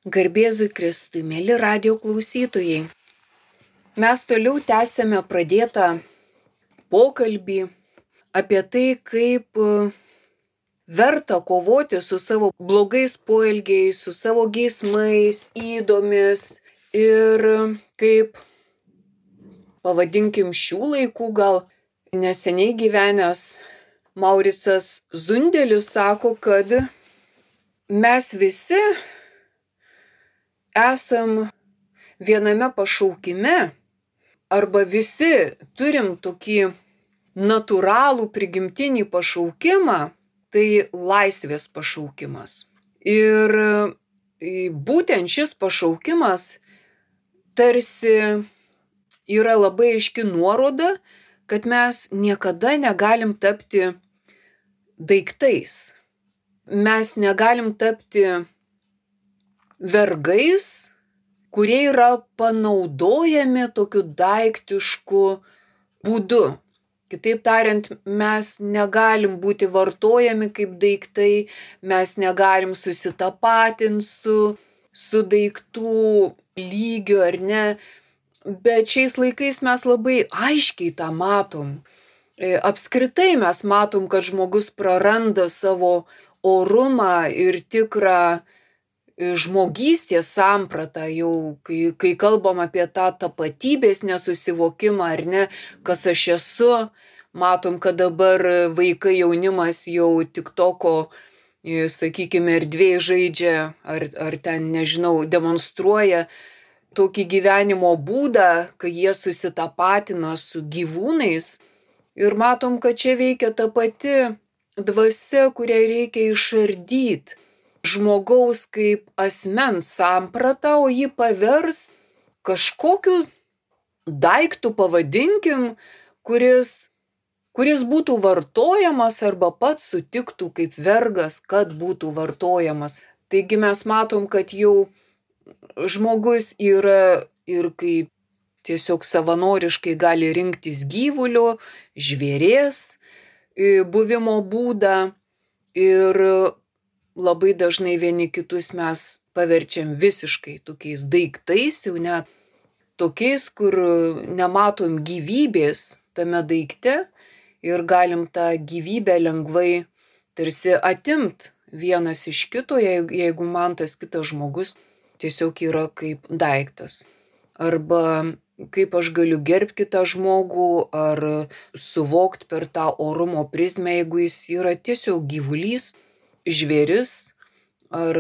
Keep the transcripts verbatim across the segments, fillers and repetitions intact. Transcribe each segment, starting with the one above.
Garbėzui Kristui, mėly radijo klausytojai. Mes toliau tęsėme pradėtą pokalbį apie tai, kaip verta kovoti su savo blogais poelgiais, su savo geismais, įdomis ir kaip, pavadinkim, šių laikų gal neseniai gyvenęs Mauricas Zundelis sako, kad mes visi esam viename pašaukime arba visi turim tokį natūralų prigimtinį pašaukimą, tai laisvės pašaukimas. Ir būtent šis pašaukimas tarsi yra labai aiški nuoroda, kad mes niekada negalim tapti daiktais. Mes negalim tapti vergais, kurie yra panaudojami tokiu daiktišku būdu. Kitaip tariant, mes negalim būti vartojami kaip daiktai, mes negalim susitapatinti su, su daiktų lygiu ar ne, bet šiais laikais mes labai aiškiai tą matom. Apskritai mes matom, kad žmogus praranda savo orumą ir tikrą žmogystės sampratą, jau kai, kai kalbam apie tą tapatybės nesusivokimą ar ne, kas aš esu, matom, kad dabar vaikai, jaunimas jau TikToko, sakykime, erdvėje žaidžia ar, ar ten, nežinau, demonstruoja tokį gyvenimo būdą, kai jie susitapatina su gyvūnais ir matom, kad čia veikia ta pati dvasia, kurią reikia išardyti. Žmogaus kaip asmens sampratą, o jį pavers kažkokiu daiktu, pavadinkim, kuris, kuris būtų vartojamas arba pats sutiktų kaip vergas, kad būtų vartojamas. Taigi mes matom, kad jau žmogus yra ir kaip tiesiog savanoriškai gali rinktis gyvulio, žvėrės buvimo būdą ir labai dažnai vieni kitus mes paverčiam visiškai tokiais daiktais, jau net tokiais, kur nematom gyvybės tame daikte ir galim tą gyvybę lengvai tarsi atimt vienas iš kito, jeigu man tas kitas žmogus tiesiog yra kaip daiktas. Arba kaip aš galiu gerbti kitą žmogų ar suvokt per tą orumo prizmę, jeigu jis yra tiesiog gyvulys, žvėris ar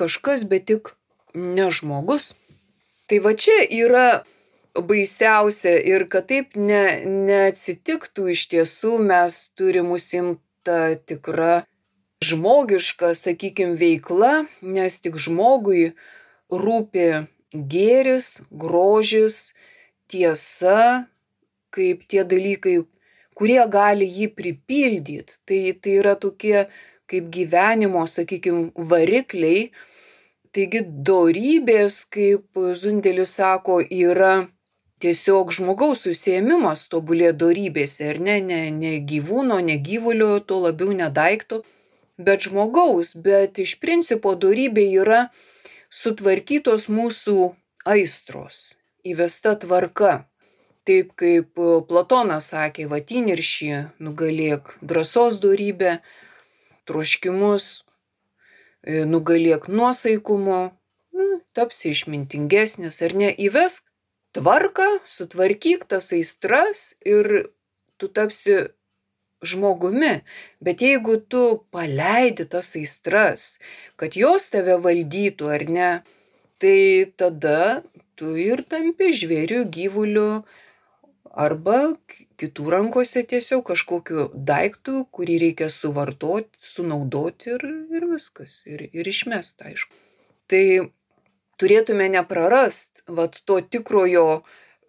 kažkas, bet tik ne žmogus. Tai va čia yra baisiausia ir kad taip ne, neatsitiktų iš tiesų, mes turim užsiimti tą tikrą žmogišką, sakykim, veiklą, nes tik žmogui rūpi gėris, grožis, tiesa, kaip tie dalykai, kurie gali jį pripildyti. Tai, tai yra tokie kaip gyvenimo, sakykim, varikliai. Taigi dorybės, kaip Zundelis sako, yra tiesiog žmogaus užsiėmimas tobulėti dorybėse, ar ne, ne, ne gyvūno, ne gyvulio, tuo labiau ne daikto, bet žmogaus. Bet iš principo dorybė yra sutvarkytos mūsų aistros, įvesta tvarka. Taip kaip Platonas sakė, vat įniršį nugalėk drąsos dorybę, troškimus nugalėk nuosaikumo, tapsi išmintingesnis ar ne, įvesk tvarką, sutvarkyk tas aistras ir tu tapsi žmogumi. Bet jeigu tu paleidi tas aistras, kad jos tave valdytų ar ne, tai tada tu ir tampi žvėriu, gyvuliu arba kitų rankose tiesiog kažkokiu daiktu, kurį reikia suvartoti, sunaudoti ir, ir viskas, ir, ir išmest, aišku. Tai turėtume neprarast vat to tikrojo,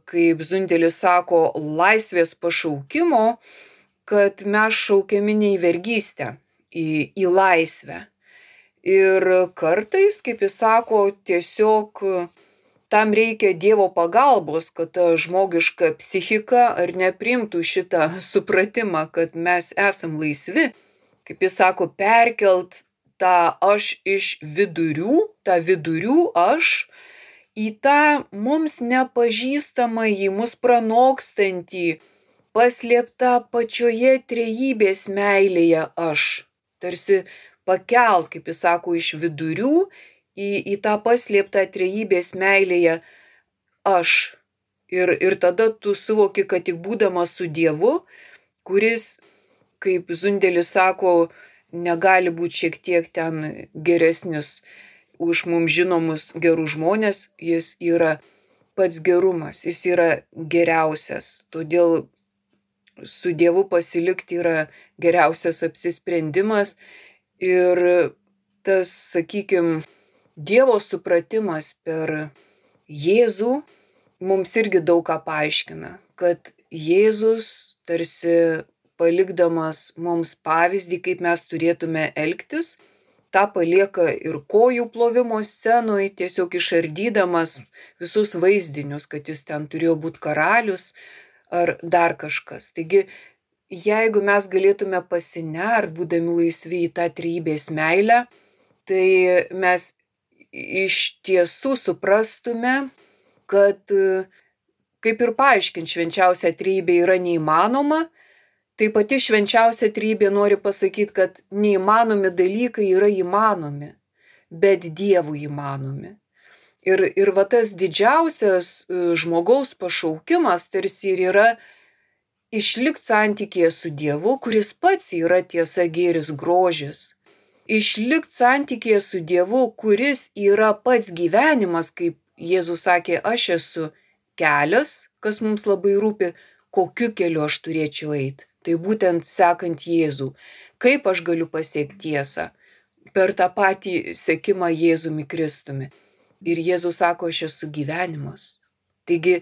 kaip Zundelis sako, laisvės pašaukimo, kad mes šaukiami ne į vergystę, į, į laisvę. Ir kartais, kaip jis sako, tiesiog tam reikia Dievo pagalbos, kad ta žmogiška psichika ar nepriimtų šitą supratimą, kad mes esam laisvi. Kaip jis sako, perkelt tą aš iš vidurių, tą vidurių aš, į tą mums nepažįstamąjį, mus pranokstantį, paslėptą pačioje trejybės meilėje aš. Tarsi pakelt, kaip jis sako, iš vidurių į, į tą paslėptą trejybės meilėje aš. Ir, ir tada tu suvoki, kad tik būdamas su Dievu, kuris, kaip Zundelis sako, negali būti šiek tiek ten geresnis už mums žinomus gerus žmonės, jis yra pats gerumas, jis yra geriausias. Todėl su Dievu pasilikti yra geriausias apsisprendimas ir tas, sakykime, Dievo supratimas per Jėzų mums irgi daug ką paaiškina, kad Jėzus tarsi palikdamas mums pavyzdį, kaip mes turėtume elgtis, tą palieka ir kojų plovimo scenoj, tiesiog išardydamas visus vaizdinius, kad jis ten turėjo būti karalius ar dar kažkas. Taigi, jeigu mes galėtume pasinert, būdami laisvi į tą trejybės meilę, tai mes iš tiesų suprastume, kad kaip ir paaiškinti švenčiausią trejybę yra neįmanoma, tai pati švenčiausia trejybė nori pasakyti, kad neįmanomi dalykai yra įmanomi, bet Dievui įmanomi. Ir, ir va tas didžiausias žmogaus pašaukimas tarsi ir yra išlikti santykėje su Dievu, kuris pats yra tiesa, gėris, grožis. Išlikti santykėje su Dievu, kuris yra pats gyvenimas, kaip Jėzus sakė, aš esu kelias, kas mums labai rūpi, kokiu keliu aš turėčiau eiti. Tai būtent sekant Jėzų. Kaip aš galiu pasiekti tiesą? Per tą patį sekimą Jėzumi Kristumi. Ir Jėzus sako, aš esu gyvenimas. Taigi,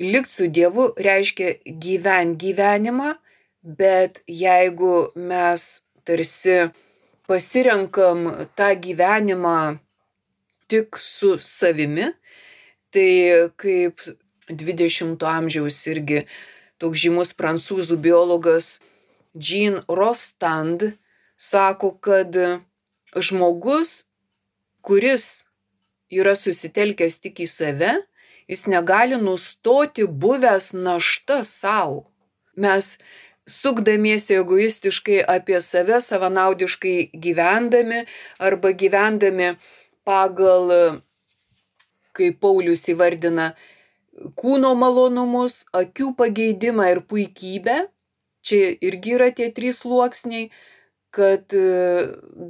likti su Dievu reiškia gyventi gyvenimą, bet jeigu mes tarsi pasirenkam tą gyvenimą tik su savimi, tai kaip dvidešimto amžiaus irgi toks žymus prancūzų biologas Jean Rostand sako, kad žmogus, kuris yra susitelkęs tik į save, jis negali nustoti buvęs našta savo. Mes sukdamiesi egoistiškai apie save, savanaudiškai gyvendami arba gyvendami pagal, kaip Paulius įvardina, kūno malonumus, akių pageidimą ir puikybę. Čia irgi yra tie trys sluoksniai, kad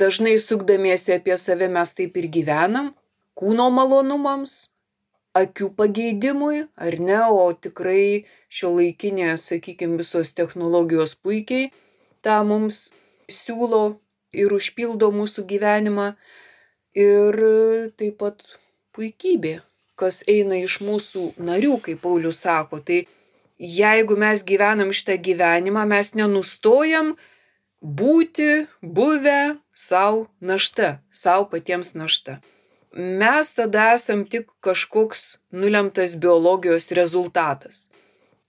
dažnai sukdamiesi apie save mes taip ir gyvenam. Kūno malonumams, akių pageidimui, ar ne, o tikrai šiuolaikinė, sakykime, visos technologijos puikiai tą mums siūlo ir užpildo mūsų gyvenimą. Ir taip pat puikybė, kas eina iš mūsų narių, kaip Paulius sako. Tai jeigu mes gyvenam šitą gyvenimą, mes nenustojam būti buvę savo našta, savo patiems našta. Mes tada esam tik kažkoks nulemtas biologijos rezultatas.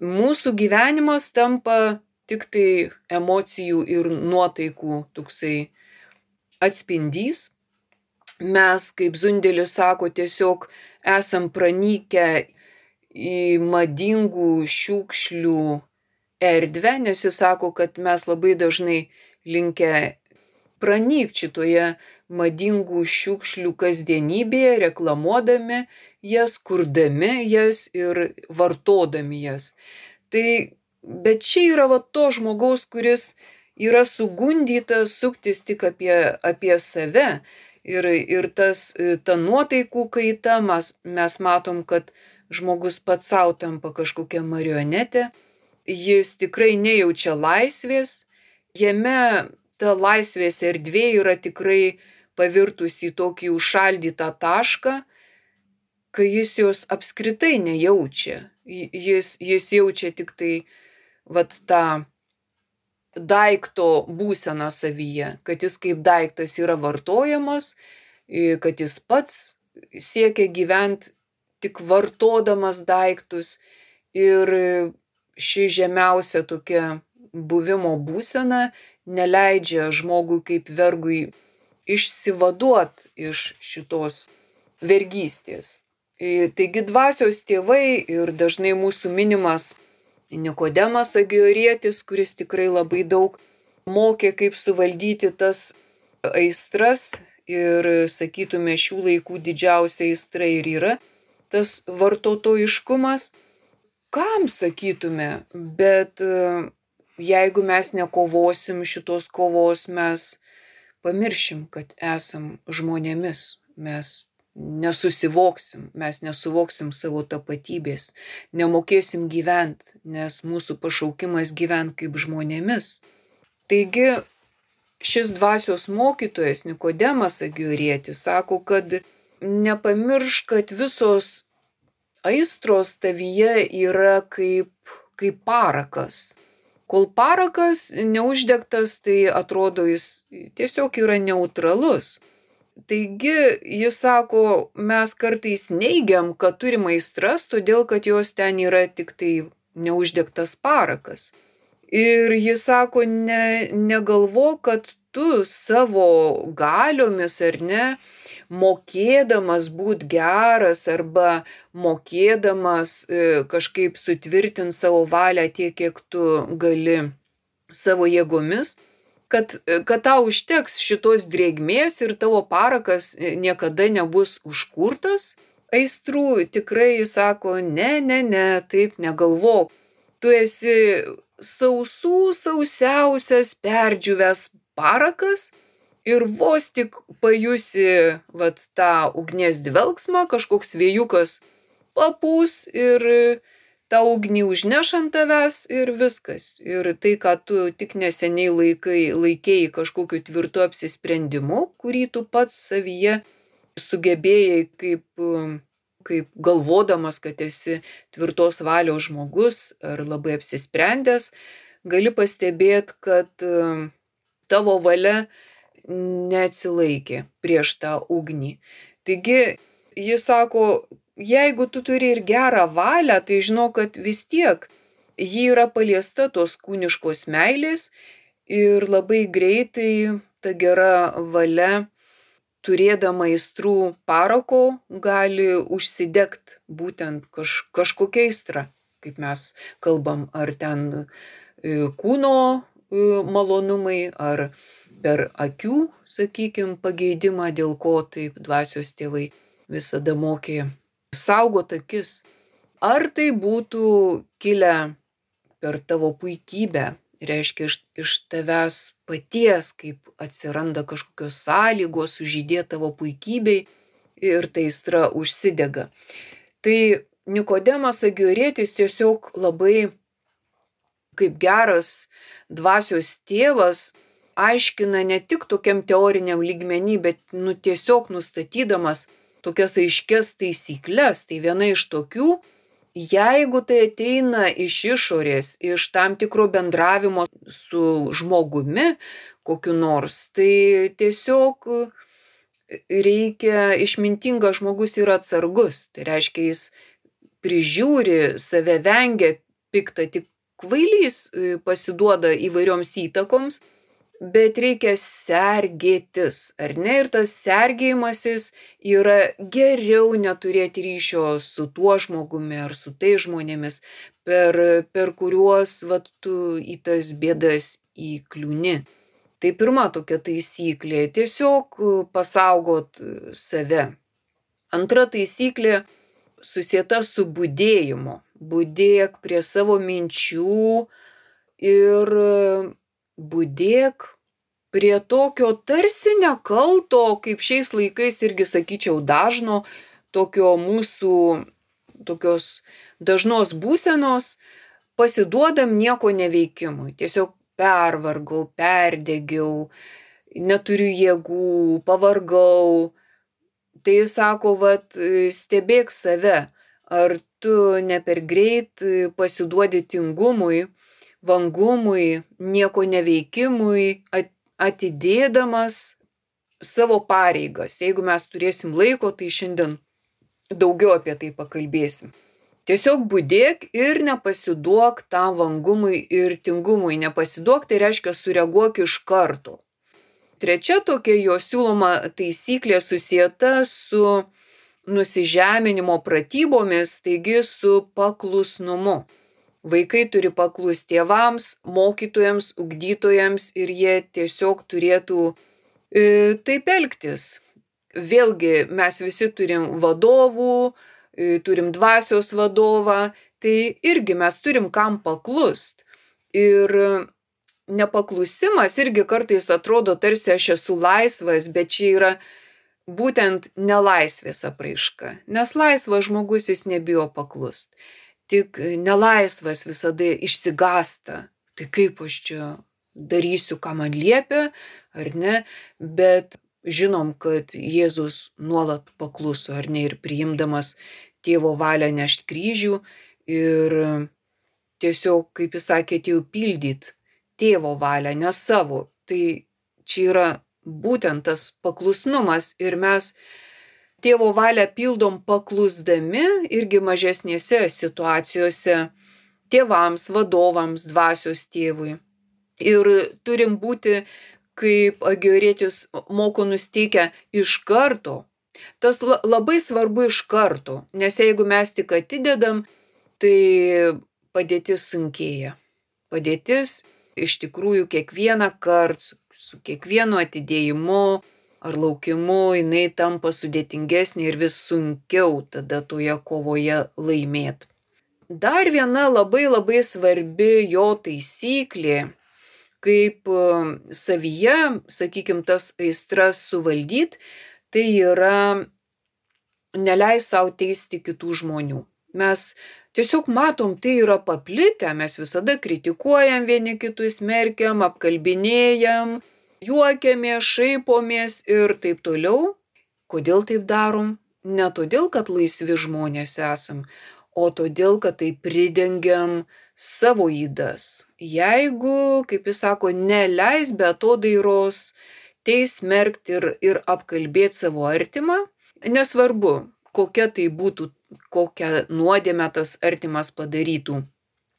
Mūsų gyvenimas tampa tik tai emocijų ir nuotaikų toksai atspindys. Mes, kaip Zundelis sako, tiesiog esam pranykę į madingų šiukšlių erdvę, nes jis sako, kad mes labai dažnai linkę pranykti šitoje madingų šiukšlių kasdienybėje, reklamuodami jas, kurdami jas ir vartodami jas. Tai, bet čia yra va to žmogaus, kuris yra sugundytas suktis tik apie, apie save. Ir, ir tas, ta nuotaikų kaita, mes, mes matom, kad žmogus pats savo tampa kažkokia marionetė. Jis tikrai nejaučia laisvės. Jame ta laisvės erdvė yra tikrai pavirtusi į tokį užšaldytą tašką, kai jis jos apskritai nejaučia. Jis, jis jaučia tik tai vat tą daikto būseną savyje, kad jis kaip daiktas yra vartojamas, kad jis pats siekia gyventi tik vartodamas daiktus. Ir ši žemiausia tokia buvimo būsena neleidžia žmogui kaip vergui išsivaduot iš šitos vergystės. Taigi dvasios tėvai ir dažnai mūsų minimas Nikodemas Agiorietis, kuris tikrai labai daug mokė, kaip suvaldyti tas aistras ir, sakytume, šių laikų didžiausia aistra ir yra tas vartotojiškumas. Kam, sakytume, bet jeigu mes nekovosim šitos kovos, mes pamiršim, kad esam žmonėmis, mes nesusivoksim, mes nesuvoksim savo tapatybės, nemokėsim gyventi, nes mūsų pašaukimas gyventi kaip žmonėmis. Taigi šis dvasios mokytojas Nikodemas Agiorietis sako, kad nepamiršk, kad visos aistros tavyje yra kaip, kaip parakas. Kol parakas neuždegtas, tai atrodo jis tiesiog yra neutralus. Taigi jis sako, mes kartais neigiam, kad turim aistras, todėl kad jos ten yra tik tai neuždegtas parakas. Ir jis sako, ne, negalvok, kad tu savo galiomis ar ne, mokėdamas būt geras arba mokėdamas e, kažkaip sutvirtinti savo valią tiek, kiek tu gali savo jėgomis, kad, kad tau užteks šitos drėgmės ir tavo parakas niekada nebus užkurtas aistrų. Tikrai jis sako, ne, ne, ne, taip negalvok. Tu esi sausų sausiausias perdžiūvęs parakas ir vos tik pajusi vat, tą ugnies dvelksmą, kažkoks vėjukas papūs ir tą ugnį užneš ant tavęs ir viskas. Ir tai, ką tu tik neseniai laikai, laikėjai kažkokiu tvirtu apsisprendimu, kurį tu pats savyje sugebėjai kaip, kaip galvodamas, kad esi tvirtos valios žmogus ar labai apsisprendęs, gali pastebėti, kad tavo valia neatsilaikė prieš tą ugnį. Taigi jis sako, jeigu tu turi ir gerą valią, tai žinok, kad vis tiek ji yra paliesta tos kūniškos meilės ir labai greitai ta gera valia, turėdama aistrų parako, gali užsidegt būtent kaž, kažkokia aistra, kaip mes kalbam, ar ten kūno malonumai, ar per akių, sakykim, pageidimą, dėl ko taip dvasios tėvai visada mokė saugot akis. Ar tai būtų kilę per tavo puikybę, reiškia iš, iš tavęs paties, kaip atsiranda kažkokios sąlygos sužydėti tavo puikybei ir ta aistra užsidega. Tai Nikodemas Agiorietis tiesiog labai kaip geras dvasios tėvas aiškina ne tik tokiam teoriniam lygmenį, bet nu, tiesiog nustatydamas tokias aiškias taisyklės. Tai viena iš tokių, jeigu tai ateina iš išorės, iš tam tikro bendravimo su žmogumi kokiu nors, tai tiesiog reikia, išmintingas žmogus yra atsargus. Tai reiškia, jis prižiūri, save vengia piktą, tik kvailys pasiduoda įvairioms įtakoms, bet reikia sergėtis, ar ne? Ir tas sergėjimasis yra geriau neturėti ryšio su tuo žmogumi ar su tai žmonėmis, per, per kuriuos vat, tu į tas bėdas įkliūni. Tai pirma tokia taisyklė - tiesiog pasaugot save. Antra taisyklė susieta su budėjimu. Budėk prie savo minčių ir budėk prie tokio tarsi nekalto, kaip šiais laikais irgi sakyčiau dažno, tokio mūsų tokios dažnos būsenos, pasiduodam nieko neveikimui. Tiesiog pervargau, perdegiau, neturiu jėgų, pavargau. Tai sako, vat, stebėk save, ar tu ne per greit pasiduodi tingumui, vangumui, nieko neveikimui, atidėdamas savo pareigas. Jeigu mes turėsim laiko, tai šiandien daugiau apie tai pakalbėsim. Tiesiog budėk ir nepasiduok tam vangumui ir tingumui. Nepasiduok, tai reiškia sureaguok iš karto. trečia tokia jo siūloma taisyklė susieta su nusižeminimo pratybomis, taigi su paklusnumu. Vaikai turi paklusti tėvams, mokytojams, ugdytojams ir jie tiesiog turėtų e, taip elgtis. Vėlgi mes visi turim vadovų, e, turim dvasios vadovą, tai irgi mes turim kam paklust. Ir nepaklusimas irgi kartais atrodo tarsi aš esu laisvas, bet čia yra būtent nelaisvės apraiška. Nes laisvas žmogus jis nebijo paklust. Tik nelaisvas visada išsigąsta. Tai kaip aš čia darysiu, ką man liepia, ar ne? Bet žinom, kad Jėzus nuolat pakluso, ar ne, ir priimdamas tėvo valią nešt kryžių ir tiesiog, kaip jis sakė, atėjau pildyt tėvo valią, ne savo. Tai čia yra būtent tas paklusnumas ir mes tėvo valią pildom paklusdami irgi mažesnėse situacijose tėvams, vadovams, dvasios tėvui. Ir turim būti, kaip Agioretis moko nusteikę, iš karto. Tas labai svarbu iš karto, nes jeigu mes tik atidedam, tai padėtis sunkėja. Padėtis iš tikrųjų kiekvieną kartą, su kiekvienu atidėjimu ar laukimu, jinai tampa sudėtingesnė ir vis sunkiau tada toje kovoje laimėt. Dar viena labai labai svarbi jo taisyklė, kaip savyje, sakykime, tas aistras suvaldyt, tai yra neleis savo teisti kitų žmonių. Mes tiesiog matom, tai yra paplitę, mes visada kritikuojam vieni kitus, smerkiam, apkalbinėjam, juokiamės, šaipomės ir taip toliau. Kodėl taip darom? Ne todėl, kad laisvi žmonės esam, o todėl, kad tai pridengiam savo ydas. Jeigu, kaip jis sako, neleis be atodairos teis, smerkti ir, ir apkalbėti savo artimą, nesvarbu, kokia tai būtų, kokią nuodėmę tas artimas padarytų,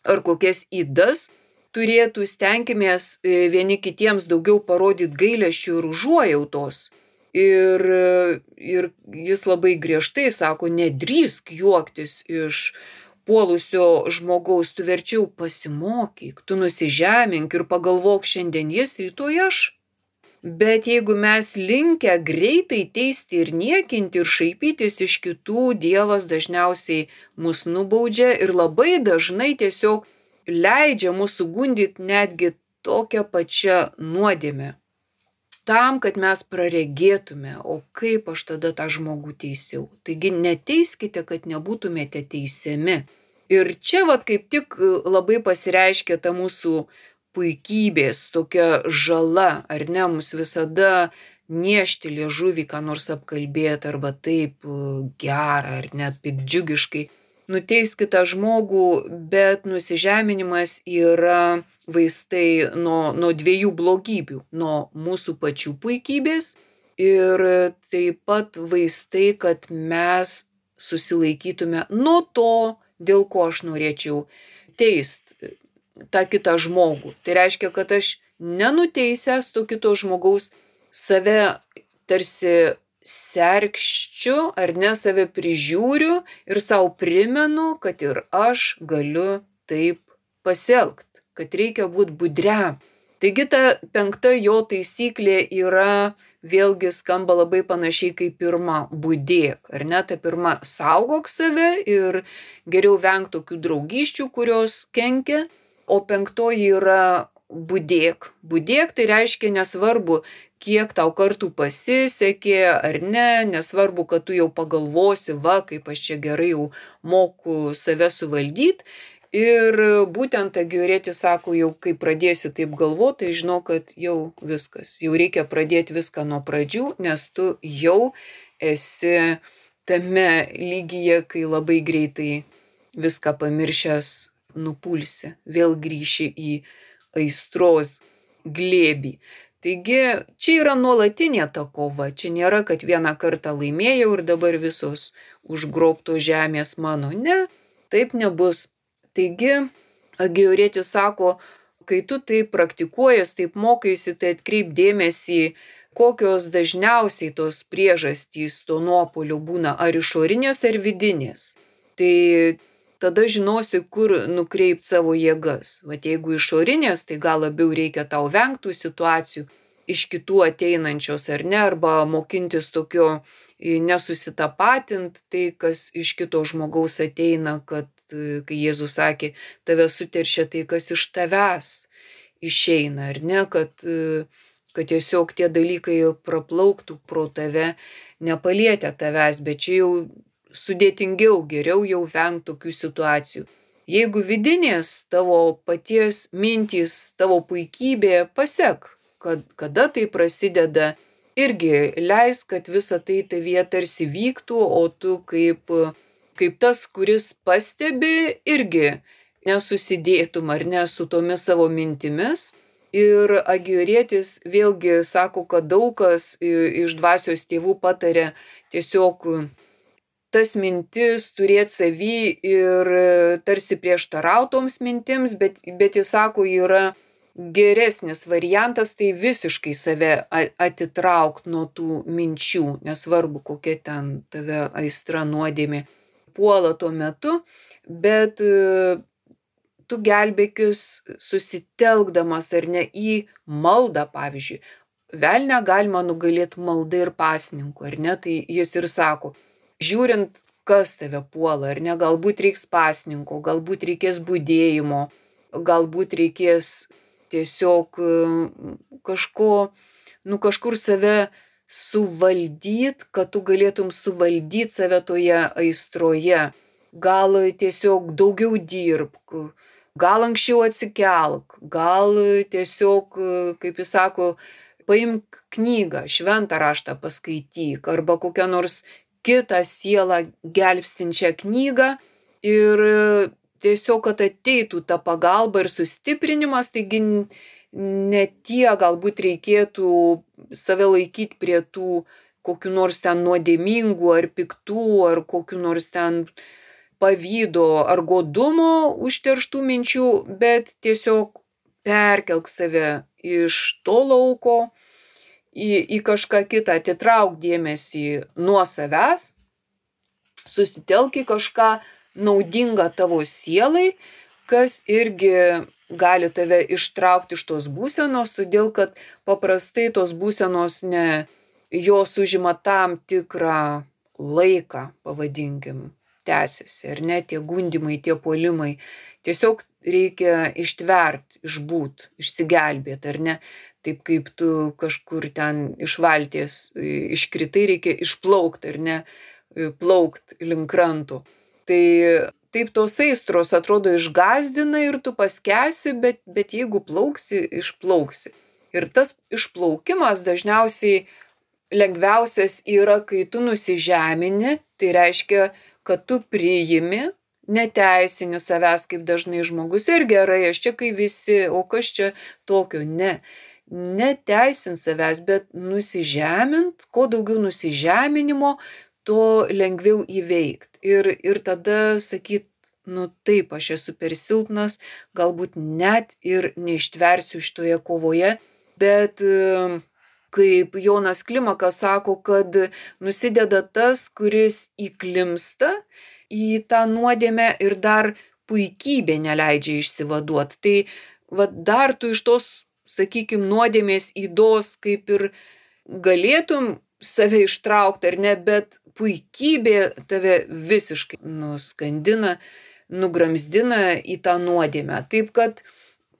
ar kokias ydas turėtų, stenkimės vieni kitiems daugiau parodyti gailesčio ir užuojautos. Ir, ir jis labai griežtai sako, nedrįsk juoktis iš puolusio žmogaus, tu verčiau pasimokyk, tu nusižemink ir pagalvok, šiandien jis, rytoj aš. Bet jeigu mes linkę greitai teisti ir niekinti ir šaipytis iš kitų, Dievas dažniausiai mus nubaudžia ir labai dažnai tiesiog leidžia mūsų gundyti netgi tokią pačią nuodėmę. Tam, kad mes praregėtume, o kaip aš tada tą žmogų teisiau. Taigi neteiskite, kad nebūtumėte teisiami. Ir čia vat kaip tik labai pasireiškia ta mūsų puikybės, tokia žala, ar ne, mums visada niešti liežuvį, ką nors apkalbėti, arba taip gerą, ar net piktdžiugiškai. Nuteiskite tą žmogų, bet nusižeminimas yra vaistai nuo, nuo dviejų blogybių, nuo mūsų pačių puikybės ir taip pat vaistai, kad mes susilaikytume nuo to, dėl ko aš norėčiau teist tą kitą žmogų. Tai reiškia, kad aš nenuteisęs to kito žmogaus save tarsi serkščiu ar ne, save prižiūriu ir savo primenu, kad ir aš galiu taip pasielgti, kad reikia būti budriam. Taigi ta penkta jo taisyklė yra, vėlgi skamba labai panašiai kaip pirma, budėk, ar ne, ta pirma, saugok save ir geriau venk tokių draugysčių, kurios kenkia, o penktoji yra budėk. Budėk tai reiškia nesvarbu, kiek tau kartų pasisekė ar ne, nesvarbu, kad tu jau pagalvosi, va, kaip aš čia gerai jau moku save suvaldyti. Ir būtent Agioretis sako, jau kai pradėsi taip galvoti, tai žinau, kad jau viskas. Jau reikia pradėti viską nuo pradžių, nes tu jau esi tame lygyje, kai labai greitai viską pamiršęs nupulsi, vėl grįši į aistros glėbį. Taigi čia yra nuolatinė ta kova, čia nėra, kad vieną kartą laimėjau ir dabar visos užgrobto žemės mano. Ne, taip nebus. Taigi Agioretis sako, kai tu taip praktikuojas, taip mokaisi, tai atkreip dėmesį, kokios dažniausiai tos priežastys to nuopuolio būna, ar išorinės, ar vidinės. Tai tada žinosi, kur nukreipt savo jėgas. Vat jeigu išorinės, tai gal labiau reikia tau vengtų situacijų, iš kitų ateinančios ar ne, arba mokintis tokio nesusitapatint tai, kas iš kito žmogaus ateina, kad kai Jėzus sakė, tave suteršia tai, kas iš tavęs išeina, ar ne, kad, kad tiesiog tie dalykai praplauktų pro tave, nepalietę tavęs, bet čia jau sudėtingiau, geriau jau vengti tokių situacijų. Jeigu vidinės tavo paties mintys, tavo puikybė, pasek, kad, kada tai prasideda, irgi leis, kad visa tai tavyje tarsi vyktų, o tu kaip, kaip tas, kuris pastebi, irgi nesusidėtum ar ne su tomis savo mintimis. Ir Agiorėtis vėlgi sako, kad daug kas iš dvasios tėvų patarė tiesiog tas mintis turėti savy ir tarsi prieštarautoms mintims, bet, bet jis sako, yra geresnis variantas, tai visiškai save atitraukt nuo tų minčių, nesvarbu, kokia ten tave aistra nuodėmė puola tuo metu, bet tu gelbėkis susitelkdamas ar ne į maldą, pavyzdžiui. Velnią galima nugalėti maldą ir pasninku, ar ne, tai jis ir sako, žiūrint, kas tave puola, ar ne, galbūt reiks pasninko, galbūt reikės budėjimo, galbūt reikės tiesiog kažko, nu kažkur save suvaldyt, kad tu galėtum suvaldyti save toje aistroje. Gal tiesiog daugiau dirbk, gal anksčiau atsikelk, gal tiesiog, kaip jis sako, paimk knygą, šventą raštą paskaityk, arba kokią nors kitą sielą gelbstinčią knygą ir tiesiog, kad ateitų ta pagalba ir sustiprinimas, taigi ne tie galbūt reikėtų save laikyti prie tų kokių nors ten nuodėmingų ar piktų ar kokių nors ten pavydo ar godumo užterštų minčių, bet tiesiog perkelk save iš to lauko į, į kažką kitą, atitrauk dėmesį nuo savęs, susitelk į kažką naudinga tavo sielai, kas irgi gali tave ištraukti iš tos būsenos, todėl kad paprastai tos būsenos ne, jos užima tam tikrą laiką, pavadinkim, tęsiasi, ar ne, tie gundimai, tie puolimai. Tiesiog reikia ištvert, išbūt, išsigelbėti, ar ne, taip kaip tu kažkur ten iš valties iškritai, reikia išplaukti, ar ne, plaukt link kranto. Tai taip tos aistros atrodo išgąsdina ir tu paskesi, bet, bet jeigu plauksi, išplauksi. Ir tas išplaukimas dažniausiai lengviausias yra, kai tu nusižemini, tai reiškia, kad tu priimi, neteisini savęs, kaip dažnai žmogus, ir gerai, aš čia kai visi, o kas čia tokio, ne. Neteisint savęs, bet nusižemint, kuo daugiau nusižeminimo, to lengviau įveikt. Ir, ir tada sakyt, nu taip, aš esu per silpnas, galbūt net ir neištversiu šitoje kovoje, bet kaip Jonas Klimakas sako, kad nusideda tas, kuris įklimsta į tą nuodėmę ir dar puikybė neleidžia išsivaduoti. Tai va, dar tu iš tos, sakykime, nuodėmės ydos kaip ir galėtum save ištraukti ar ne, bet puikybė tave visiškai nuskandina, nugramzdina į tą nuodėmę. Taip kad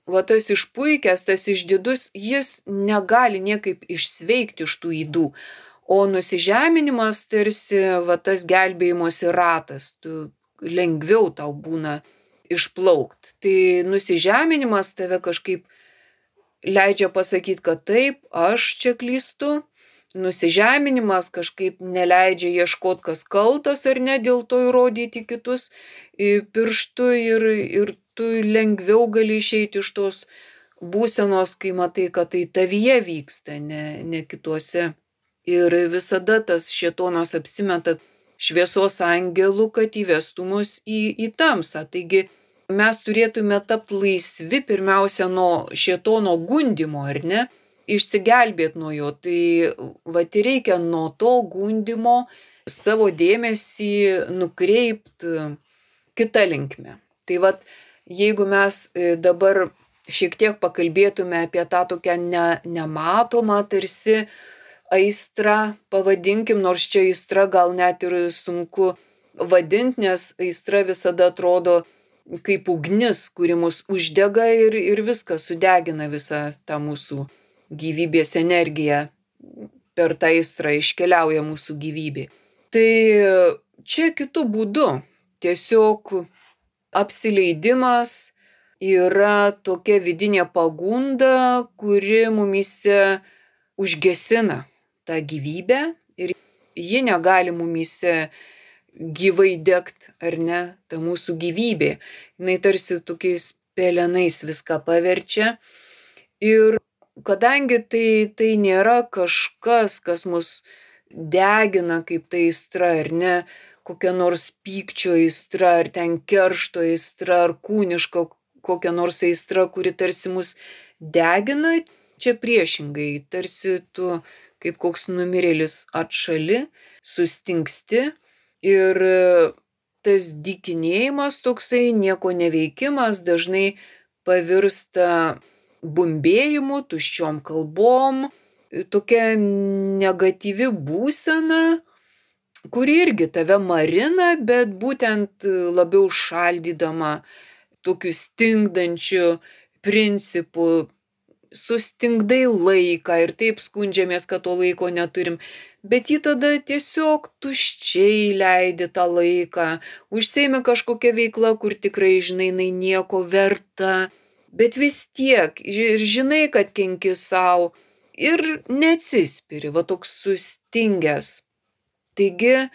va, tas išpuikęs, tas išdidus, jis negali niekaip išsveikti iš tų ydų. O nusižeminimas tarsi va, tas gelbėjimosi ratas, tu lengviau tau būna išplaukt. Tai nusižeminimas tave kažkaip leidžia pasakyti, kad taip, aš čia klystu. Nusižeminimas kažkaip neleidžia ieškoti, kas kaltas ar ne, dėl to įrodyti kitus pirštu ir, ir tu lengviau gali išeiti iš tos būsenos, kai matai, kad tai tavyje vyksta, ne, ne kituose. Ir visada tas šėtonas apsimeta šviesos angelų, kad įvestų mus į, į tamsą. Taigi mes turėtume tapti laisvi pirmiausia nuo šėtono gundymo, ar ne? Išsigelbėti nuo jo. Tai vat ir reikia nuo to gundymo savo dėmesį nukreipti kitą linkmę. Tai vat, jeigu mes dabar šiek tiek pakalbėtume apie tą tokią ne, nematomą tarsi aistrą, pavadinkim, nors čia aistra gal net ir sunku vadinti, nes aistra visada atrodo kaip ugnis, kuri mus uždega ir, ir viską sudegina visą tą mūsų gyvybės energiją. Per tą aistrą iškeliauja mūsų gyvybė. Tai čia kitų būdų. Tiesiog apsileidimas yra tokia vidinė pagunda, kuri mumyse užgesina tą gyvybę ir ji negali mumyse gyvai degt, ar ne, ta mūsų gyvybė. Jinai tarsi tokiais pelenais viską paverčia. Ir kadangi tai, tai nėra kažkas, kas mus degina kaip tai aistra, ar ne, kokia nors pykčio aistra, ar ten keršto aistra, ar kūniška kokia nors aistra, kuri tarsi mus degina, čia priešingai, tarsi tu kaip koks numirėlis atšali, sustingsti ir tas dykinėjimas toksai, nieko neveikimas dažnai pavirsta bumbėjimu, tuščiom kalbom, tokia negatyvi būsena, kuri irgi tave marina, bet būtent labiau šaldydama tokiu stingdančiu principu, sustingdai laiką ir taip skundžiamės, kad to laiko neturim, bet jį tada tiesiog tuščiai leidi tą laiką, užsiimi kažkokią veiklą, kur tikrai žinai, jinai nieko verta, bet vis tiek ir žinai, kad kenki sau ir neatsispiri, va toks sustingęs. Taigi,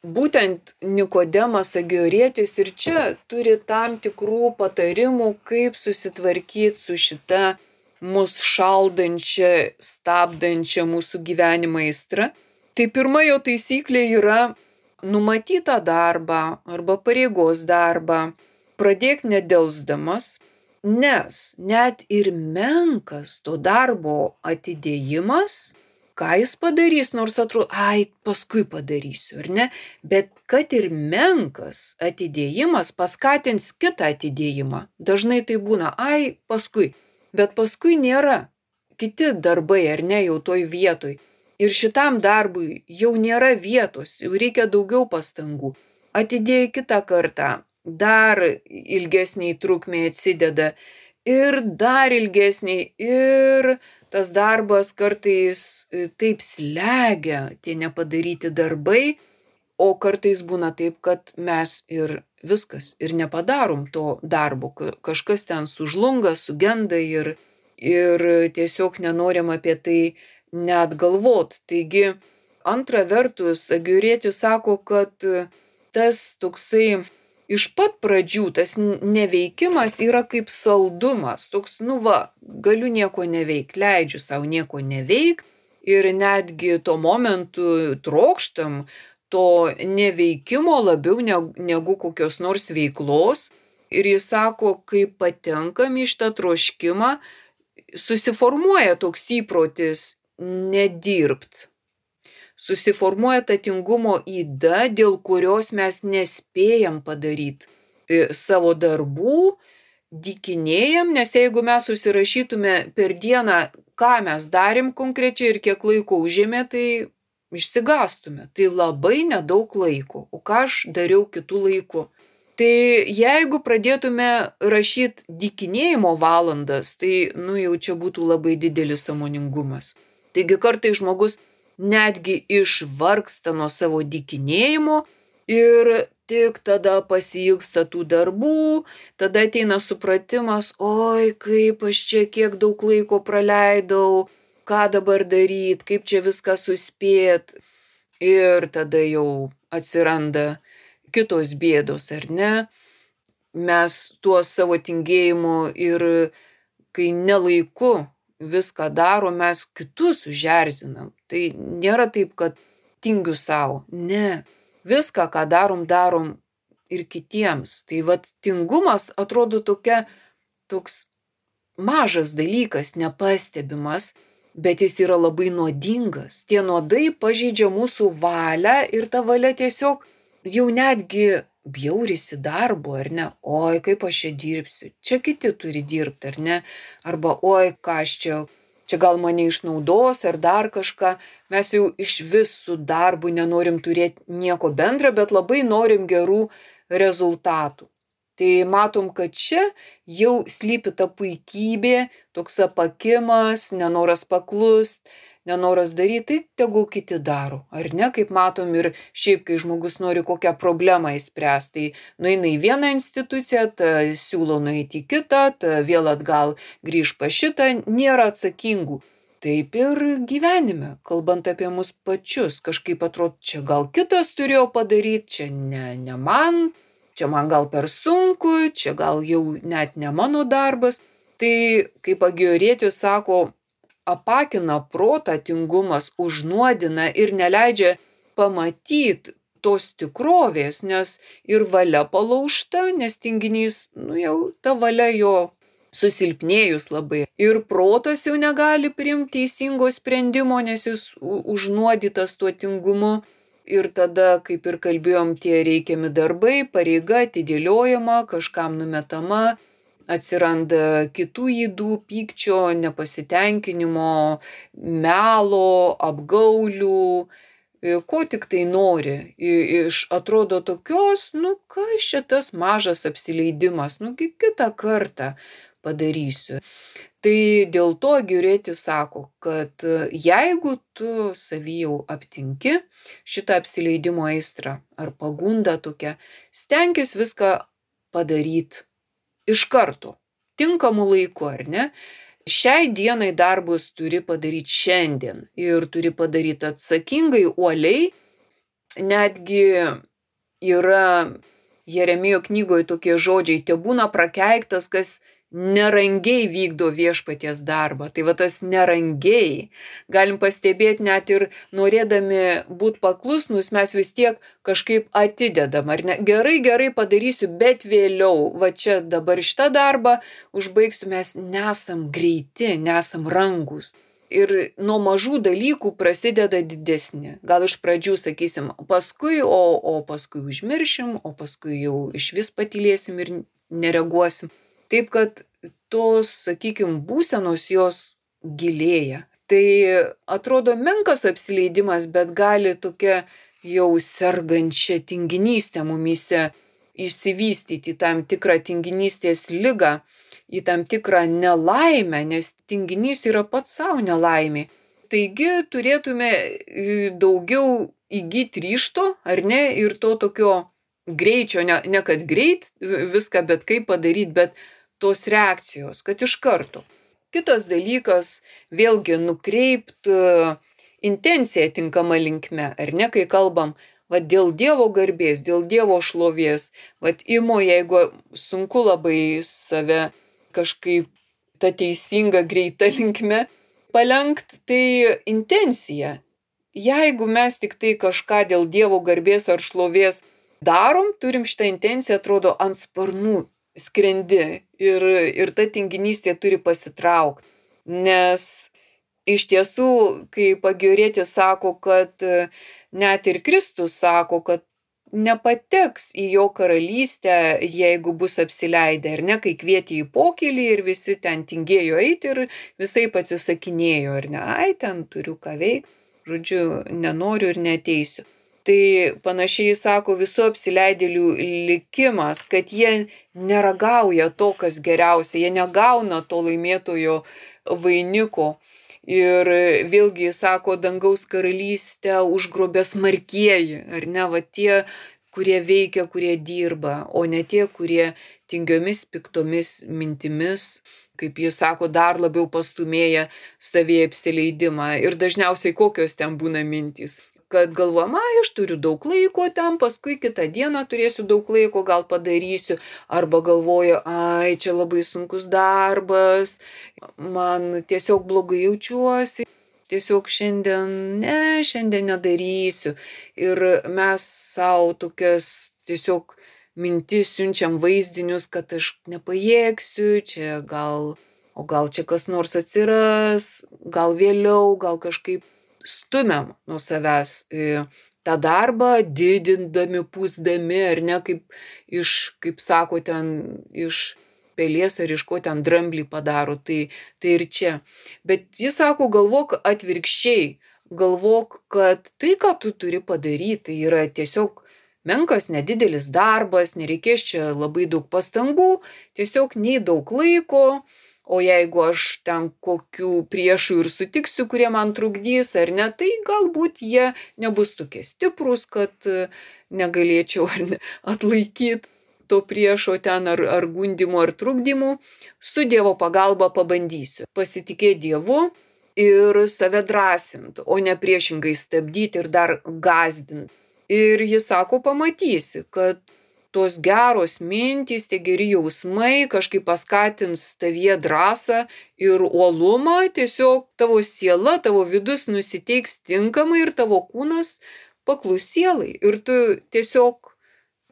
būtent Nikodemas Agiorietis ir čia turi tam tikrų patarimų, kaip susitvarkyti su šita mus šaldančia, stabdančia mūsų gyvenimą aistra. Tai pirma jo taisyklė yra numatytą darbą arba pareigos darbą pradėk nedelsdamas, nes net ir menkas to darbo atidėjimas, ką jis padarys, nors atrodo, ai, paskui padarysiu, ar ne? Bet kad ir menkas atidėjimas paskatins kitą atidėjimą. Dažnai tai būna, ai, paskui. Bet paskui nėra kiti darbai, ar ne, jau toj vietoj. Ir šitam darbui jau nėra vietos, jau reikia daugiau pastangų. Atidėjai kitą kartą, dar ilgesniai trukmei atsideda ir dar ilgesniai ir tas darbas kartais taip slegia, tie nepadaryti darbai, o kartais būna taip, kad mes ir viskas, ir nepadarom to darbo, kažkas ten sužlunga, sugenda ir, ir tiesiog nenorim apie tai net galvot. Taigi, antra vertus, Agiorietis sako, kad tas toksai iš pat pradžių, tas neveikimas yra kaip saldumas, toks, nu va, galiu nieko neveikti, leidžiu savo nieko neveikti ir netgi tuo momentu trokštam to neveikimo labiau negu kokios nors veiklos. Ir jis sako, kai patenkam į šitą troškimą, susiformuoja toks įprotis nedirbt. Susiformuoja ta tingumo yda, dėl kurios mes nespėjam padaryti savo darbų, dykinėjam, nes jeigu mes susirašytume per dieną, ką mes darėm konkrečiai ir kiek laiko užėmė, tai išsigastume. Tai labai nedaug laiko. O ką aš dariau kitų laikų? Tai jeigu pradėtume rašyti dykinėjimo valandas, tai nu jau čia būtų labai didelis sąmoningumas. Taigi kartais žmogus netgi išvargsta nuo savo dykinėjimo ir tik tada pasiilgsta tų darbų, tada ateina supratimas, oi, kaip aš čia kiek daug laiko praleidau, ką dabar daryti, kaip čia viską suspėt. Ir tada jau atsiranda kitos bėdos, ar ne? Mes tuo savo tingėjimu ir kai nelaiku viską daro, mes kitus užerzinam. Tai nėra taip, kad tingiu savo. Ne. Viską, ką darom, darom ir kitiems. Tai vat tingumas atrodo tokia, toks mažas dalykas, nepastebimas, bet jis yra labai nuodingas. Tie nuodai pažeidžia mūsų valią ir ta valia tiesiog jau netgi bjaurisi darbu, ar ne? Oi, kaip aš čia dirbsiu. Čia kiti turi dirbti, ar ne? Arba oi, ką aš čia, čia gal mane išnaudos ar dar kažką. Mes jau iš vis su darbu nenorim turėti nieko bendra, bet labai norim gerų rezultatų. Tai matom, kad čia jau slypi ta puikybė, toks apakimas, nenoras paklust, nenoras daryti, tai tegul kiti daro. Ar ne, kaip matom ir šiaip, kai žmogus nori kokią problemą įspręsti, tai nueina į vieną instituciją, ta siūlo nueiti į kitą, ta vėl atgal grįž pa šitą, nėra atsakingų. Taip ir gyvenime, kalbant apie mus pačius, kažkaip atrodo, čia gal kitas turėjo padaryti, čia ne, ne man. Čia man gal per sunku, čia gal jau net ne mano darbas. Tai, kaip Agijorietis sako, apakina protą tingumas, užnuodina ir neleidžia pamatyti tos tikrovės, nes ir valia palaužta, nes tinginys, nu jau ta valia jo susilpnėjus labai. Ir protas jau negali priimti teisingo sprendimo, nes jis užnuodytas tuo tingumu. Ir tada, kaip ir kalbėjom, tie reikiami darbai, pareiga atidėliojama, kažkam numetama, atsiranda kitų ydų, pykčio, nepasitenkinimo, melo, apgaulių, ko tik tai nori. Iš atrodo tokios, nu kas čia tas mažas apsileidimas, nu kitą kartą padarysiu. Tai dėl to Agijorietis sako, kad jeigu tu savy jau aptinki šitą apsileidimo aistrą ar pagundą tokią, stenkis viską padaryti iš karto, tinkamu laiku, ar ne? Šiai dienai darbus turi padaryti šiandien ir turi padaryti atsakingai, uoliai. Netgi yra Jeremijo knygoje tokie žodžiai, tebūna prakeiktas, kas nerangiai vykdo viešpaties darbą. Tai va tas nerangiai. Galim pastebėti net ir norėdami būti paklusnus, mes vis tiek kažkaip atidedam, ar ne? Gerai, gerai padarysiu, bet vėliau, va čia dabar šitą darbą užbaigsiu, mes nesam greiti, nesam rangus. Ir nuo mažų dalykų prasideda didesni. Gal iš pradžių sakysim paskui, o, o paskui užmiršim, o paskui jau iš vis patylėsim ir nereaguosim. Taip, kad tos, sakykim, būsenos jos gilėja. Tai atrodo menkas apsileidimas, bet gali tokia jau sergančia tinginystė mumyse išsivystyti tam tikrą tinginystės ligą, į tam tikrą nelaimę, nes tinginys yra pats savo nelaimė. Taigi turėtume daugiau įgyti ryžto, ar ne, ir to tokio greičio, ne, ne kad greit viską, bet kaip padaryti, bet tos reakcijos, kad iš karto. Kitas dalykas, vėlgi nukreipt intenciją tinkama linkme, ar ne, kai kalbam, va dėl Dievo garbės, dėl Dievo šlovės, va imu, jeigu sunku labai save kažkaip ta teisinga greita linkme palenkt, tai intencija. Jeigu mes tik tai kažką dėl Dievo garbės ar šlovės darom, turim šitą intenciją, atrodo, ant sparnų skrendi ir, ir ta tinginystė turi pasitraukti. Nes iš tiesų, kaip Agijorietis sako, kad net ir Kristus sako, kad nepateks į jo karalystę, jeigu bus apsileidę, ar ne, kai kvietė į pokylį ir visi ten tingėjo eiti ir visai atsisakinėjo, ar ne, ai, ten turiu ką veikti, žodžiu, nenoriu ir neteisiu. Tai panašiai sako visų apsileidėlių likimas, kad jie neragauja to, kas geriausia, jie negauna to laimėtojo vainiko. Ir vėlgi sako, dangaus karalystę užgrobė smarkieji, ar ne, va tie, kurie veikia, kurie dirba, o ne tie, kurie tingiomis, piktomis mintimis, kaip jis sako, dar labiau pastumėja savyje apsileidimą. Ir dažniausiai kokios ten būna mintys. Kad galvojama, aš turiu daug laiko ten, paskui kitą dieną turėsiu daug laiko, gal padarysiu, arba galvoju, ai, čia labai sunkus darbas, man tiesiog blogai jaučiuosi, tiesiog šiandien, ne, šiandien nedarysiu. Ir mes savo tokias tiesiog mintis, siunčiam vaizdinius, kad aš nepajėgsiu, čia gal, o gal čia kas nors atsiras, gal vėliau, gal kažkaip stumiam nuo savęs tą darbą, didindami, pūsdami, ar ne, kaip iš, kaip sako ten, iš pelės ar iš ko ten dramblį padaro, tai, tai ir čia. Bet jis sako, galvok atvirkščiai, galvok, kad tai, ką tu turi padaryti, tai yra tiesiog menkas, nedidelis darbas, nereikės čia labai daug pastangų, tiesiog nei daug laiko, o jeigu aš ten kokių priešų ir sutiksiu, kurie man trukdys ar ne, tai galbūt jie nebus tokie stiprus, kad negalėčiau atlaikyti to priešo ten ar, ar gundimų ar trukdymų. Su Dievo pagalba pabandysiu. Pasitikėti Dievu ir save drąsinti, o ne priešingai stabdyti ir dar gąsdinti. Ir jis sako, pamatysi, kad tos geros mintys, tie geri jausmai kažkaip paskatins tavyje drąsą ir uolumą, tiesiog tavo siela, tavo vidus nusiteiks tinkamai ir tavo kūnas paklus sielai. Ir tu tiesiog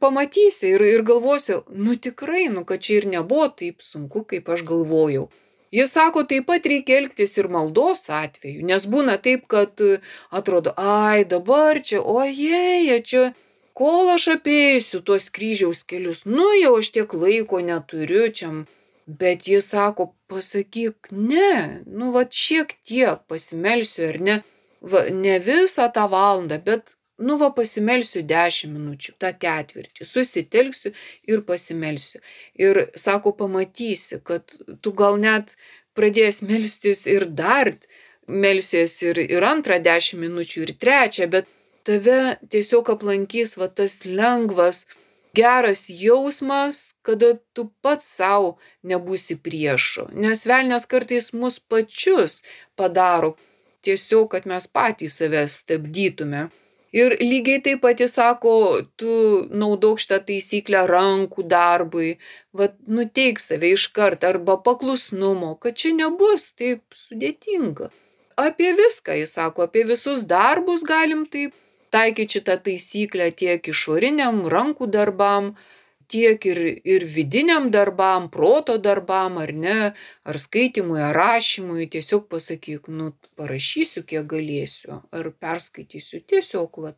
pamatysi ir, ir galvosi, nu tikrai, nu kad čia ir nebuvo taip sunku, kaip aš galvojau. Jis sako, taip pat reikia elgtis ir maldos atveju, nes būna taip, kad atrodo, ai dabar čia, ojei, čia... Kol aš apeisiu tuos kryžiaus kelius, nu jau aš tiek laiko neturiu čia, bet jis sako, pasakyk, ne, nu va šiek tiek pasimelsiu ar ne, va, ne visą tą valandą, bet nu va pasimelsiu dešimt minučių, tą ketvirtį, susitelksiu ir pasimelsiu. Ir sako, pamatysi, kad tu gal net pradės melstis ir dar melsies ir, ir antrą dešimt minučių ir trečią, bet tave tiesiog aplankys va tas lengvas, geras jausmas, kada tu pats savo nebūsi priešu. Nes velnias kartais mus pačius padaro, tiesiog, kad mes patys save stabdytume. Ir lygiai taip pat jis sako, tu naudok šitą taisyklę rankų darbui, va nuteik save iškart arba paklusnumo, kad čia nebus taip sudėtinga. Apie viską jis sako, apie visus darbus galim taip taikyti šitą taisyklę tiek išoriniam rankų darbam, tiek ir, ir vidiniam darbam, proto darbam, ar ne, ar skaitimui, ar rašymui, tiesiog pasakyk, nu, parašysiu, kiek galėsiu, ar perskaitysiu, tiesiog, va,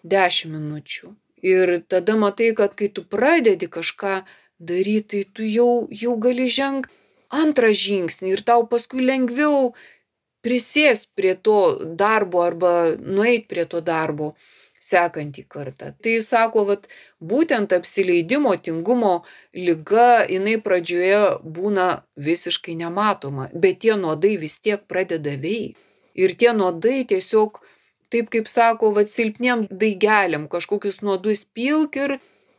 dešimt minučių. Ir tada matai, kad kai tu pradedi kažką daryti, tai tu jau, jau gali žengti antrą žingsnį ir tau paskui lengviau prisės prie to darbo arba nueit prie to darbo sekantį kartą. Tai sako, vat, būtent apsileidimo, tingumo liga, jinai pradžioje būna visiškai nematoma, bet tie nuodai vis tiek pradeda veikti. Ir tie nuodai tiesiog, taip kaip sako, vat, silpniem daigeliam kažkokius nuodus pilk ir,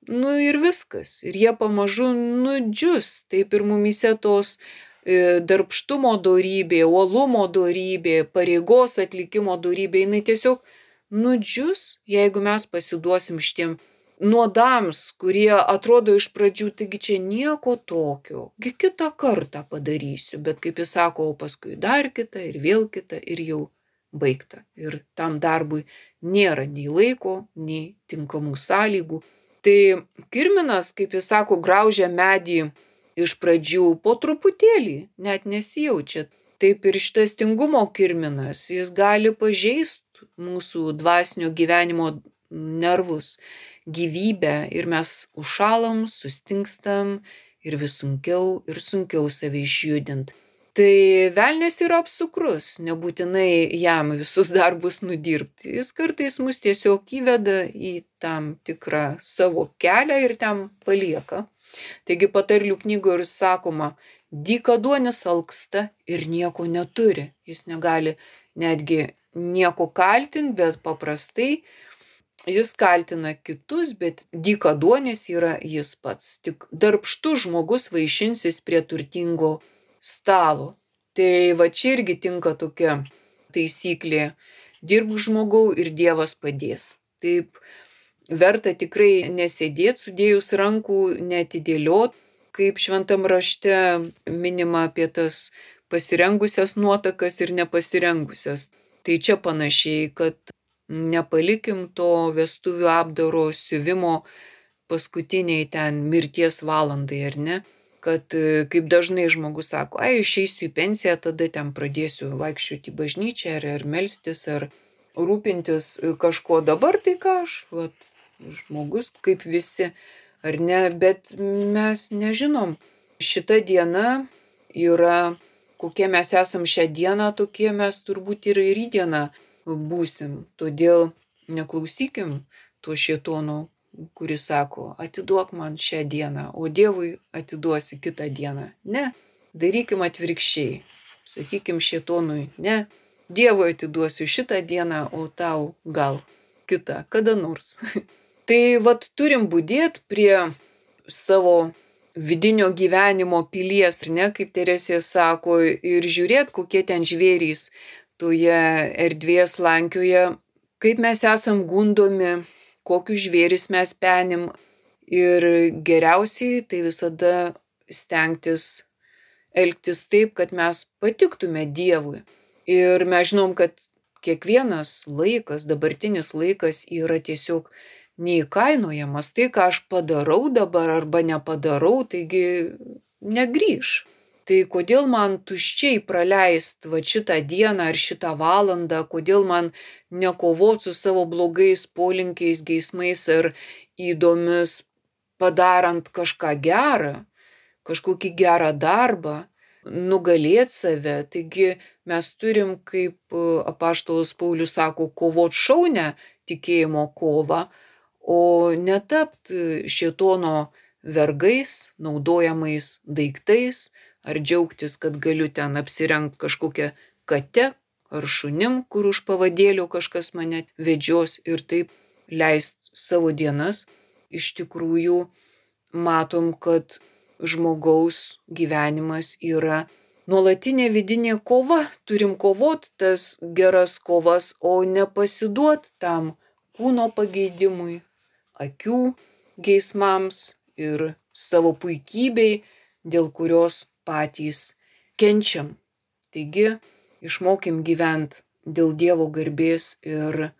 nu, ir viskas. Ir jie pamažu nudžius. Taip ir mumyse tos darbštumo dorybė, uolumo dorybė, pareigos atlikimo dorybė, jinai tiesiog nudžius, jeigu mes pasiduosim šitiem nuodams, kurie atrodo iš pradžių, taigi čia nieko tokio, gi kitą kartą padarysiu, bet kaip jis sako, o paskui dar kitą ir vėl kitą ir jau baigta. Ir tam darbui nėra nei laiko, nei tinkamų sąlygų. Tai kirminas, kaip jis sako, graužia medį iš pradžių po truputėlį, net nesijaučia. Taip ir šitas tingumo kirminas, jis gali pažeisti mūsų dvasinio gyvenimo nervus, gyvybę ir mes užšalam, sustingstam ir vis sunkiau ir sunkiau save išjudint. Tai velnias yra apsukrus, nebūtinai jam visus darbus nudirbti. Jis kartais mus tiesiog įveda į tam tikrą savo kelią ir ten palieka. Taigi patarlių knygoje ir sakoma, dykaduonis alksta ir nieko neturi. Jis negali netgi nieko kaltinti, bet paprastai jis kaltina kitus, bet dykaduonis yra jis pats. Tik darbštus žmogus vaišinsis prie turtingo stalo. Tai va čia irgi tinka tokia taisyklė. Dirbk žmogau ir Dievas padės. Taip verta tikrai nesėdėti sudėjus rankų, neatidėliot, kaip šventam rašte minima apie tas pasirengusias nuotakas ir nepasirengusias. Tai čia panašiai, kad nepalikim to vestuvių apdaro siuvimo paskutiniai ten mirties valandai, ar ne? Kad kaip dažnai žmogus sako, ai, išeisiu į pensiją, tada ten pradėsiu vaikščioti į bažnyčią, ar, ar melstis, ar rūpintis kažko. Dabar tai ką aš, vat, žmogus kaip visi, ar ne, bet mes nežinom. Šita diena yra, kokie mes esam šią dieną, tokie mes turbūt ir rytdieną būsim. Todėl neklausykim to šėtono, kuris sako, atiduok man šią dieną, o Dievui atiduosi kitą dieną. Ne, darykim atvirkščiai. Sakykim šėtonui, ne, Dievui atiduosiu šitą dieną, o tau gal kitą, kada nors. Tai vat turim budėt prie savo vidinio gyvenimo pilies, ar ne, kaip Teresė sako, ir žiūrėt, kokie ten žvėrys toje erdvėje slankioja, kaip mes esam gundomi, kokius žvėris mes penim. Ir geriausiai tai visada stengtis elgtis taip, kad mes patiktume Dievui. Ir mes žinom, kad kiekvienas laikas, dabartinis laikas yra tiesiog neįkainojamas. Tai, ką aš padarau dabar arba nepadarau, taigi negrįš. Tai kodėl man tuščiai praleist va šitą dieną ar šitą valandą, kodėl man nekovot su savo blogais polinkiais, geismais ar įdomis, padarant kažką gerą, kažkokį gerą darbą, nugalėt save. Taigi mes turim, kaip apaštalas Paulius sako, kovot šaunią tikėjimo kovą, o netapt šėtono vergais, naudojamais daiktais, ar džiaugtis, kad galiu ten apsirengt kažkokią katę ar šunim, kur už pavadėlio kažkas mane vedžios ir taip leist savo dienas. Iš tikrųjų matom, kad žmogaus gyvenimas yra nuolatinė vidinė kova. Turim kovot tas geras kovas, o nepasiduot tam kūno pageidimui, akių geismams ir savo puikybei, dėl kurios patys kenčiam. Taigi, išmokim gyvent dėl Dievo garbės ir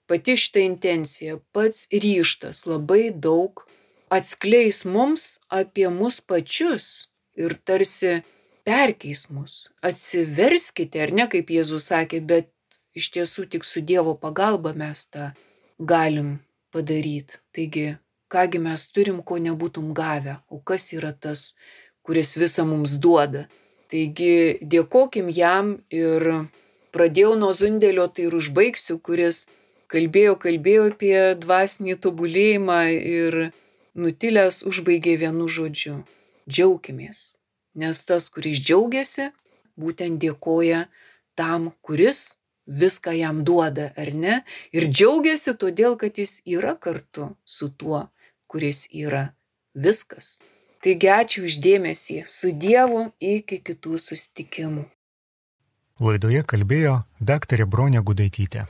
pati šitą intenciją, pats ryžtas labai daug atskleis mums apie mus pačius ir tarsi perkeis mus. Atsiverskite, ar ne, kaip Jėzus sakė, bet iš tiesų tik su Dievo pagalba mes tą galim padaryti. Taigi, kągi mes turim, ko nebūtum gavę, o kas yra tas, kuris visą mums duoda. Taigi dėkokim jam ir pradėjau nuo Zundelio, tai ir užbaigsiu, kuris kalbėjo, kalbėjo apie dvasinį tobulėjimą ir nutilęs užbaigė vienu žodžiu. Džiaukimės, nes tas, kuris džiaugiasi, būtent dėkoja tam, kuris viską jam duoda, ar ne? Ir džiaugiasi todėl, kad jis yra kartu su tuo, kuris yra viskas. Taigi ačiū už dėmesį, su Dievu iki kitų susitikimų. Laidoje kalbėjo daktarė Bronė Gudaitytė.